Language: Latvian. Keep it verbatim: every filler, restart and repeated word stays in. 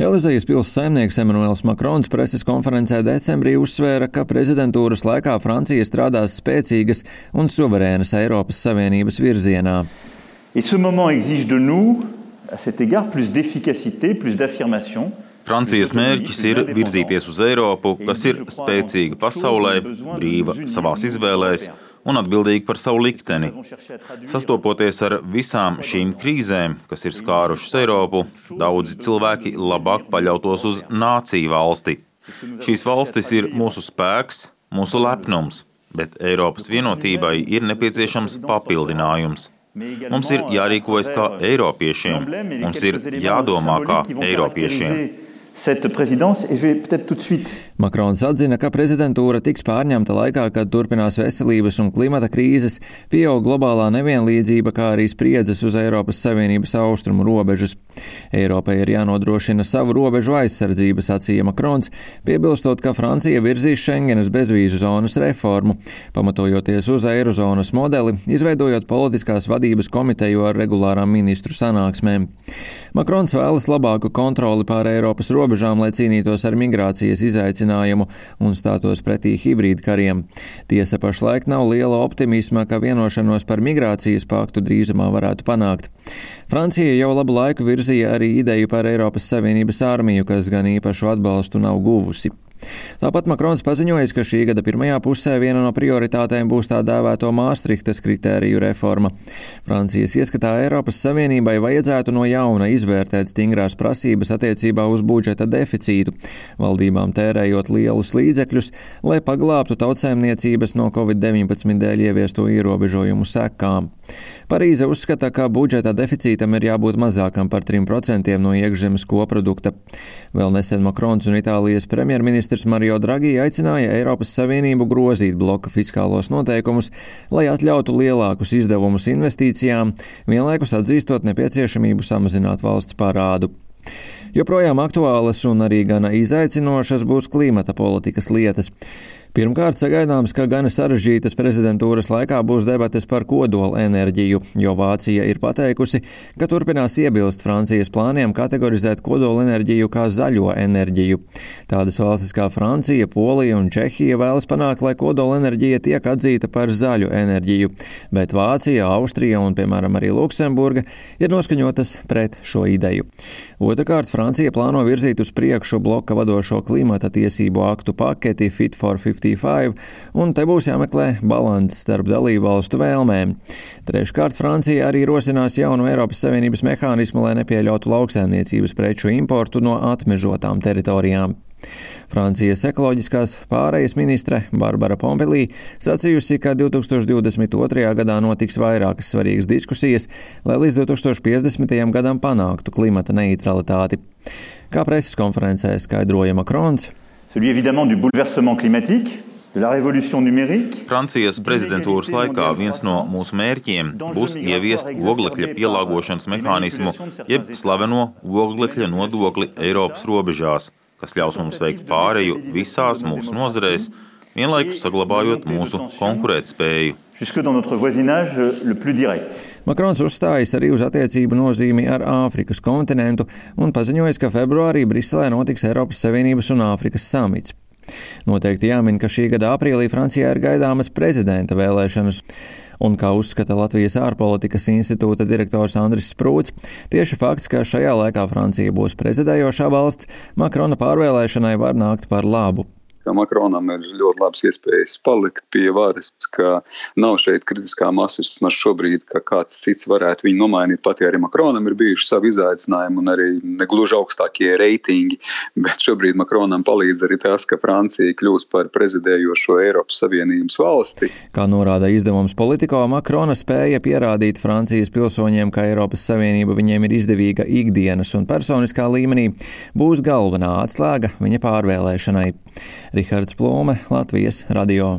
Elizējas pils saimnieks Emmanuels Macrons preses konferencē decembrī uzsvēra, ka prezidentūras laikā Francija strādās spēcīgas un suverēnas Eiropas Savienības virzienā. Et ce moment exige de nous, à cet égard, plus d'efficacité, plus d'affirmation. Francijas mērķis ir virzīties uz Eiropu, kas ir spēcīga pasaulē, brīva savās izvēlēs un atbildīga par savu likteni. Sastopoties ar visām šīm krīzēm, kas ir skārušas Eiropu, daudzi cilvēki labāk paļautos uz nāciju valsti. Šīs valstis ir mūsu spēks, mūsu lepnums, bet Eiropas vienotībai ir nepieciešams papildinājums. Mums ir jārīkojas kā eiropiešiem, mums ir jādomā kā eiropiešiem. Cette présidence, et je vais peut-être tout de suite. Makrons atzina, ka prezidentūra tiks pārņemta laikā, kad turpinās veselības un klimata krīzes, pieaug globālā nevienlīdzība, kā arī spriedzes uz Eiropas Savienības austrumu robežas. Eiropai ir jānodrošina savu robežu aizsardzību, sacīja Makrons, piebilstot, ka Francija virzīs Schengenas bezvīzu zonas reformu, pamatojoties uz eirozonas modeli, izveidojot politiskās vadības komiteju ar regulārām ministru sanāksmēm. Makrons vēlas labāku kontroli pār Eiropas robežām, lai cīnītos ar migrācijas izaicinājumu un stātos pretī hibrīdu kariem. Tiesa pašlaik nav liela optimisma, ka vienošanos par migrācijas paktu drīzumā varētu panākt. Francija jau labu laiku virzīja arī ideju par Eiropas Savienības armiju, kas gan īpašu atbalstu nav guvusi. Tāpat Makrons paziņojis, ka šī gada pirmajā pusē viena no prioritātēm būs tā dēvēto Māstrihtas kritēriju reforma. Francijas ieskatā Eiropas Savienībai vajadzētu no jauna izvērtēt stingrās prasības attiecībā uz budžeta deficītu, valdībām tērējot lielus līdzekļus, lai paglābtu tautsēmniecības no covid deviņpadsmit dēļ ieviesto ierobežojumu sekām. Parīze uzskata, ka budžeta deficītam ir jābūt mazākam par trim procentiem no iekšzemes koprodukta. Vēl nesen Makrons un Itālijas premjerministrs Mario Draghi aicināja Eiropas Savienību grozīt bloka fiskālos noteikumus, lai atļautu lielākus izdevumus investīcijām, vienlaikus atzīstot nepieciešamību samazināt valsts parādu. Joprojām aktuālas un arī gana izaicinošas būs klimata politikas lietas. Pirmkārt, sagaidāms, ka gana sarežģītas prezidentūras laikā būs debates par kodola enerģiju, jo Vācija ir pateikusi, ka turpinās iebilst Francijas plāniem kategorizēt kodola enerģiju kā zaļo enerģiju. Tādas valstis kā Francija, Polija un Čehija vēlas panākt, lai kodola enerģija tiek atzīta par zaļu enerģiju, bet Vācija, Austrija un, piemēram, arī Luksemburga ir noskaņotas pret šo ideju. Otrakārt, Francija plāno virzīt uz priekšu bloka vadošo klimata tiesību aktu paketi Fit for cinquanta-pieci, un te būs jāmeklē balanss starp dalību valstu vēlmēm. Treškārt, Francija arī rosinās jaunu Eiropas Savienības mehānismu, lai nepieļautu lauksaimniecības preču importu no atmežotām teritorijām. Francijas ekoloģiskās pārejas ministre Barbara Pompelī sacījusi, ka divi tūkstoši divdesmit otrajā gadā notiks vairākas svarīgas diskusijas, lai līdz divi tūkstoši piecdesmitajam gadam panāktu klimata neutralitāti. Kā preses konferencē skaidroja Makrons, celui évidemment du bouleversement climatique, de la révolution numérique. Francijas prezidentūras laikā viens no mūsu mērķiem būs ieviest oglekļa pielāgošanas mehānismu, jeb slaveno oglekļa nodokli Eiropas robežās, kas ļaus mums veikt pāreju visās mūsu nozarēs, vienlaikus saglabājot mūsu konkurētspēju. Jusque dans notre voisinage le plus direct. Makrons uzstājas arī uz attiecību nozīmi ar Āfrikas kontinentu un paziņojas, ka februārī Briselē notiks Eiropas Savienības un Āfrikas samits. Noteikti jāmin, ka šī gada aprīlī Francijā ir gaidāmas prezidenta vēlēšanas, un, kā uzskata Latvijas ārpolitikas institūta direktors Andris Sprūts, tieši fakts, ka šajā laikā Francija būs prezidējošā valsts, Makrona pārvēlēšanai var nākt par labu. Ka Makronam ir ļoti labs iespējas palikt pie varas, ka nav šeit kritiskā masa vismaz šobrīd, ka kāds cits varētu viņu nomainīt, pat ja arī Makronam ir bijuši savi izaicinājumi un arī negluži augstākie reitingi, bet šobrīd Makronam palīdz arī tas, ka Francija kļūs par prezidējošo Eiropas Savienības valsti. Kā norāda izdevums Politico, Makrona spēja pierādīt Francijas pilsoņiem, ka Eiropas Savienība viņiem ir izdevīga ikdienas un personiskā līmenī, būs galvenā atslēga viņa pārvēlēšanai. Rihards Plūme, Latvijas radio.